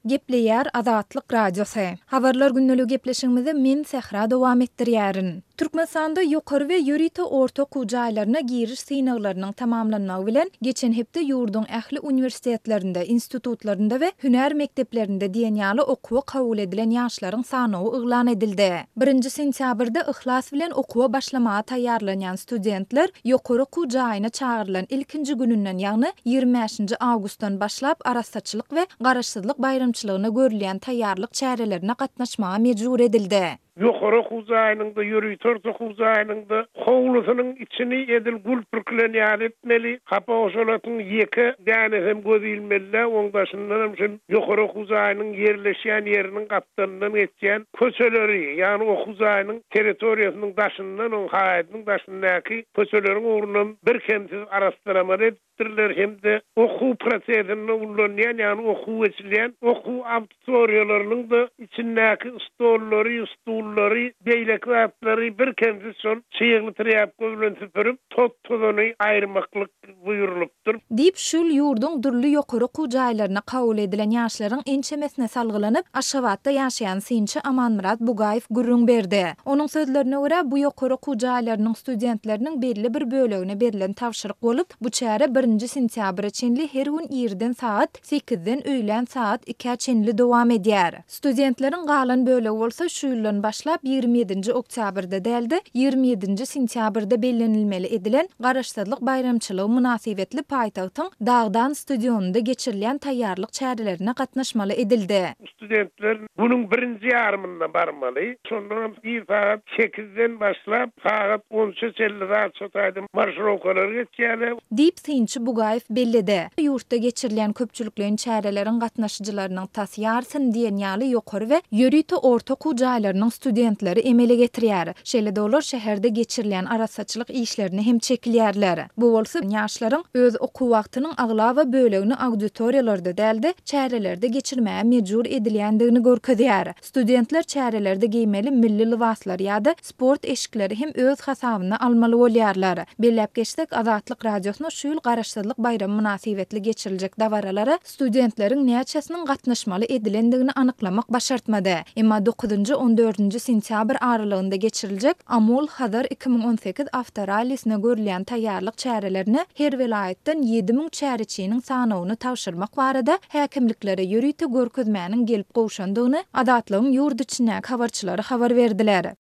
Gepleýär Azatlyk Radiosy. Habarlar gündeligi gepleşigimizi men Sähra dowam etdirýärin. Türkmenistanda ýokary we ýörite orta okuw jaýlaryna giriş synaglarynyň tamamlanmagy bilen, geçen hepde ýurduň ähli uniwersitetlerinde, institutlarynda we hünär mekdeplerinde diýen ýaly okuwa kabul edilen ýaşlaryň sanawy yglan edildi. Birinji sentýabrda yhlas bilen okuwa başlamaga taýýarlanýan studentler ýokary okuw jaýyna çagyrylan ilkinji gününden, ýagny 25-nji awgustdan başlap arassaçylyk we Garaşsyzlyk baýramçylygyna görülýän taýýarlyk çärelerine gatnaşmaga mejbur edildi. Ýokary okuw jaýynyň-da, ýörite orta okuw jaýynyň-da howlusynyň içini edil gül pürkülen ýaly etmeli. Hapa-hoşalatyň ýeke dänesem göz ilmeli däl, oň daşyndanam şu ýokary okuw jaýynyň ýerleşýän ýeriniň gapdalyndan geçýän köçeleri, ýagny okuw jaýynyň territoriýasynyň daşyndan, oň haýadynyň daşyndaky köçeleriň ugrunam birkemsiz arassalamaly edip, edipdirler hem-de okuw prosesinde ullanylýan, ýagny okuw geçilýän okuw auditoriýalarynyň-da içindäki stollary, stullary, beýleki zatlary birkemsiz şol çygly trýapka bilen süpürip, tot-tozany aýyrmaklyk buýrulypdyr. Diýip, şu ýyl ýurduň dürli ýokary okuw jaýlaryna kabul edilen ýaşlaryň ençemesine salgylanyp, Aşgabatda ýaşaýan synçy Amanmyrat Bugaýew gürrüň berdi. Onuň sözlerine görä, bu ýokary okuw jaýlarynyň studentleriniň belli bir bölegine berlen tabşyryk bolup, Bu çäre birinji sentýabra çenli her gün irden sagat sekizden öýlän sagat ikä çenli dowam edýär. Studentleriň galan bölegi bolsa şu ýyldan başlap 27-nji oktýabrda däl-de, 27-nji sentýabrda bellenilmeli edilen Garaşsyzlyk baýramçylygy mynasybetli paýtagtyň Dagdan stadionynda geçirilýän taýýarlyk çärelerine gatnaşmaly edildi. Studentler günüň birinji ýarymynda barmaly. Şondanam ir sagat sekizden başlap, sagat on üçe çenli zat şo taýda marşirowkalar geçýärler. Diýip, synçy Bugaýew belledi. Ýurtda geçirilýän köpçülikleýin çäreleriň gatnaşyjylarynyň tas ýarysyny diýen ýaly ýokary we ýörite orta okuw jaýlarynyň studentleri emele getirýär. Şeýle-de olar şäherde geçirilýän arassaçylyk işlerine hem çekilýärler. Bu bolsa ýaşlaryň öz okuw wagtynyň aglaba bölegini auditoriýalarda däl-de, çärelerde geçirmäge mejbur edilýändigini görkezýär. Studentler çärelerde geýmeli milli lybaslary ýa-da sport eşikleri hem öz hasabyna almaly bolýarlar. Belläp geçsek, Azatlyk Radiosyna şu ýyl Garaşsyzlyk baýramy mynasybetli geçiriljek dabaralara studentleriň näçesiniň gatnaşmaly edilendigini anyklamak başartmady. Emma dokuzynjy, on dördünji sentýabr aralygynda geçiriljek Amul, Hazar 2018 awtorallisine görülýän taýýarlyk çärelerine her welaýatdan 7000 çäreçiniň sanawyny tabşyrmak barada häkimliklere ýörite görkezmäniň gelip gowşandygyny Azatlygyň ýurt içindäki habarçylary habar berdiler.